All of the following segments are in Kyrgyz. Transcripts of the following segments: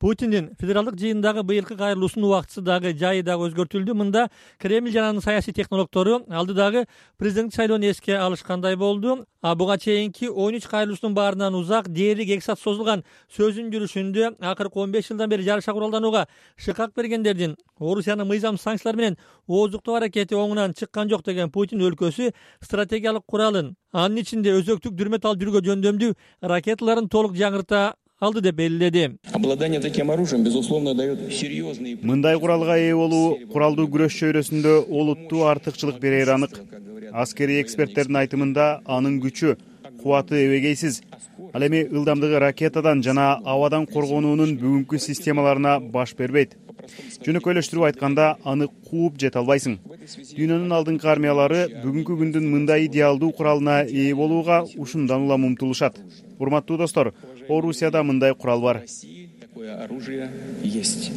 Путиндин федералдык жыйындагы быйылкы кайрылуусунун убактысы дагы жайы дагы өзгөртүлдү. Мында Кремль жана анын саясий технологдору алдыдагы президенттик шайлоону эске алышкандай болду. Буга чейинки 13 кайрылуусунун баарынан узак дээрлик 2 саат созулган сөзүнүн жүрүшүндө акыркы 15 жылдан бери жарыша куралданууга шыкак бергендердин Орусиянын мыйзам санкциялар менен ооздуктоо аракети оңунан чыккан жок деген Путин өлкөсү стратегиялык куралын, анын ичинде өзөктүк дүрмөт алып жүрүүгө жөндөмдүү ракеталарын толук жаңырта алды деп белгиледи. Обладание таким оружием, безусловно, дает серьезный... Мындай куралга ээ болуу куралдуу күрөш чөйрөсүндө олуттуу артыкчылык берери анык. Аскерий эксперттердин айтымында анын күчү, кубаты эбегейсиз. Ал эми ылдамдыгы ракетадан жана абадан коргонуунун бүгүнкү системаларына баш бербейт. Жөнөкөйлөштүрүп айтканда, аны кууп жете албайсың. Дүйнөнүн алдыңкы армиялары бүгүнкү күндүн мындай идеалдуу куралына ээ болууга ушундан улам умтулушат. Урматтуу достор, Орусияда мындай курал бар. Такое оружие есть.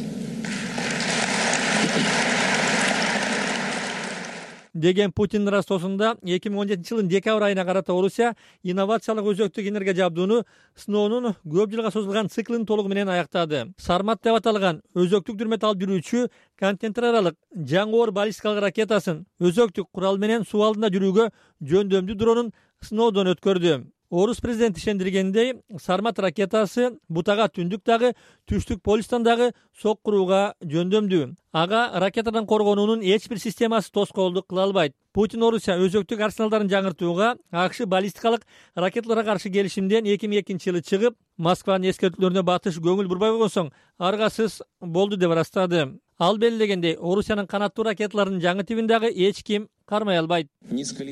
Деген Путиндин растоосунда 2017 жылдын декабрь айына карата Орусия инновациялык өзөктүк энергия жабдууну сыноонун көп жылга созулган циклин толугу менен аяктады. Сармат деп аталган өзөктүк дүрмөт алып жүрүүчү контейнер аралык жаңы баллистикалык ракетасын өзөктүк курал менен суу алдында жүрүүгө жөндөмдүү дронун сыноодон өткөрдү. Орус президенти ишендиргендей, Сармат ракетасы бутага түндүк дагы, түштүк полюстан дагы сок курууга жөндөмдүү. Ага ракетадан коргонуунун эч бир системасы тоскоолдук кыла албайт. Путин Орусия өзөктүк арсеналдарын жаңыртууга, АКШ баллистикалык ракеталарга каршы келишимден 2002 жылы чыгып, Москванын эскертүүлөрүнө батыш көңүл бурбай койгон соң аргасыз болду деп ырастады. Ал белгилегендей, Орусиянын канаттуу ракеталарынын жаңы тибин дагы эч ким кармай албайт.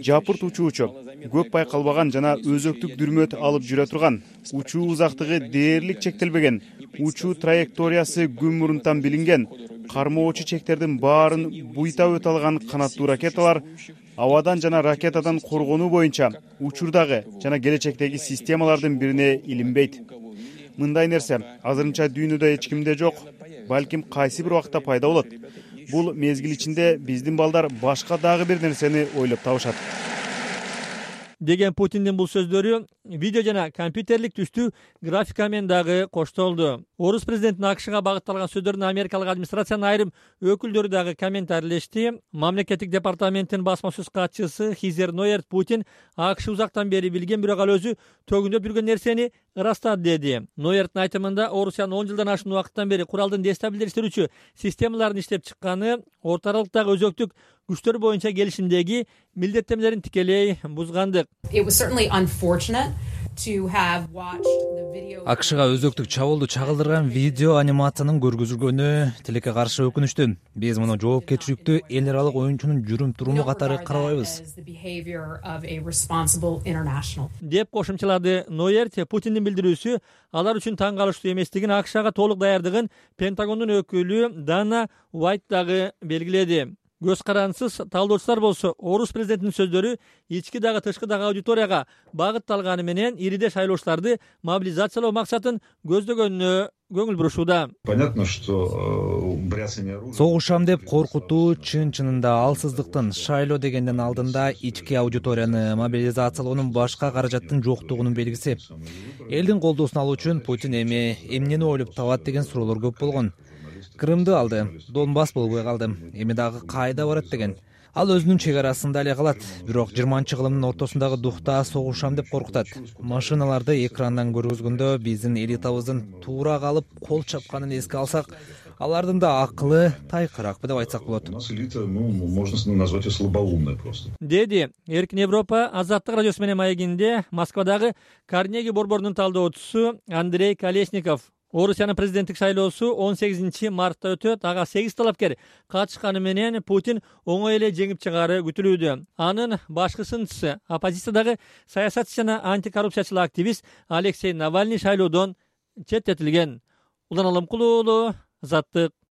Жапырт учуучу, көп байкалбаган жана өзөктүк дүрмөт алып жүрө турган, учуу узактыгы дээрлик чектелбеген, учуу траекториясы күн мурунтан билинген, кармоочу чектердин баарын буйтап өтө алган канаттуу ракеталар абадан жана ракетадан коргонуу боюнча учурдагы жана келечектеги системалардын бирине илинбейт. Мындай нерсе азырынча дүйнөдө эч кимде жок, балким кайсы бир убакта пайда болот. Бул мезгил ичинде биздин балдар башка дагы бир нерсени ойлоп табышат. Деген Путиндин бул сөздөрү видео жана компьютерлик түстүү графика менен дагы коштолду. Орус президентинин АКШга багытталган сөздөрүнө америкалык администрациянын айрым өкүлдөрү дагы комментарийлешти. Мамлекеттик департаменттин басма сөз катчысы Хизер Нойерт Путин АКШ узактан бери билген, бирок ал өзү төгүндөп жүргөн нерсени ырастады деди. Нойерттин айтымында Орусиянын 10 жылдан ашуун убакыттан бери куралдын дестабилдештирүүчү системаларын иштеп чыкканы Орто аралыктагы өзөктүк күчтөр боюнча келишимдеги милдеттенмелерин тикелей бузгандык. АКШга өзөктүк чабуулду чагылдырган видео анимациянын көргөзүлгөнү тилекке каршы өкүнүчтүү. Биз муну жоопкерчиликтүү эл аралык оюнчунун жүрүм-туруму катары карабайбыз. Деп кошумчалады Нойерт. Путиндин билдирүүсү алар үчүн таң калыштуу эместигин АКШга толук даярдыгын Пентагондун өкүлү Дана Уайт дагы белгиледи. Көз карансыз талдоочулар болсо Орус президентинин сөздөрү ички дагы тышкы дагы аудиторияга багытталганы менен ириде шайлоочуларды мобилизациялоо максатын көздөгөнүнө көңүл бурушууда. Понятно, что согушам деп коркутуу чын-чынында алсыздыктын, шайлоо дегенден алдында ички аудиторияны мобилизациялоонун, башка каражаттын жоктугунун белгиси. Элдин колдоосун алуу үчүн Путин эми эмнени ойлоп табат деген суроолор көп болгон. Крымды алды, Донбасс болбой калды, эми дагы кайда барат деген. Ал өзүнүн чек арасында эле калат, бирок 20-кылымдын ортосундагы духта согушам деп коркутат. Машиналарды экрандан көргөзгөндө биздин элитабыздын туура калып кол чапканын эске алсак, алардын да акылы тайкыракпы деп айтсак болот. Можно назвать слабоумной просто. Деди Эркин Европа Азаттык радиосу менен маегинде Москвадагы Карнеги борборунун талдоочусу Андрей Колесников. Орусиянын президенттик шайлоосу 18 мартта өтөт. Ага 8 талапкер катышканы менен Путин оңой эле жеңип чыгары күтүлүүдө. Анын башкы сынчысы, оппозициядагы саясатчы жана антикоррупциячыл активист Алексей Навальный шайлоодон четтетилген. Улан Аламкулуу, Азаттык.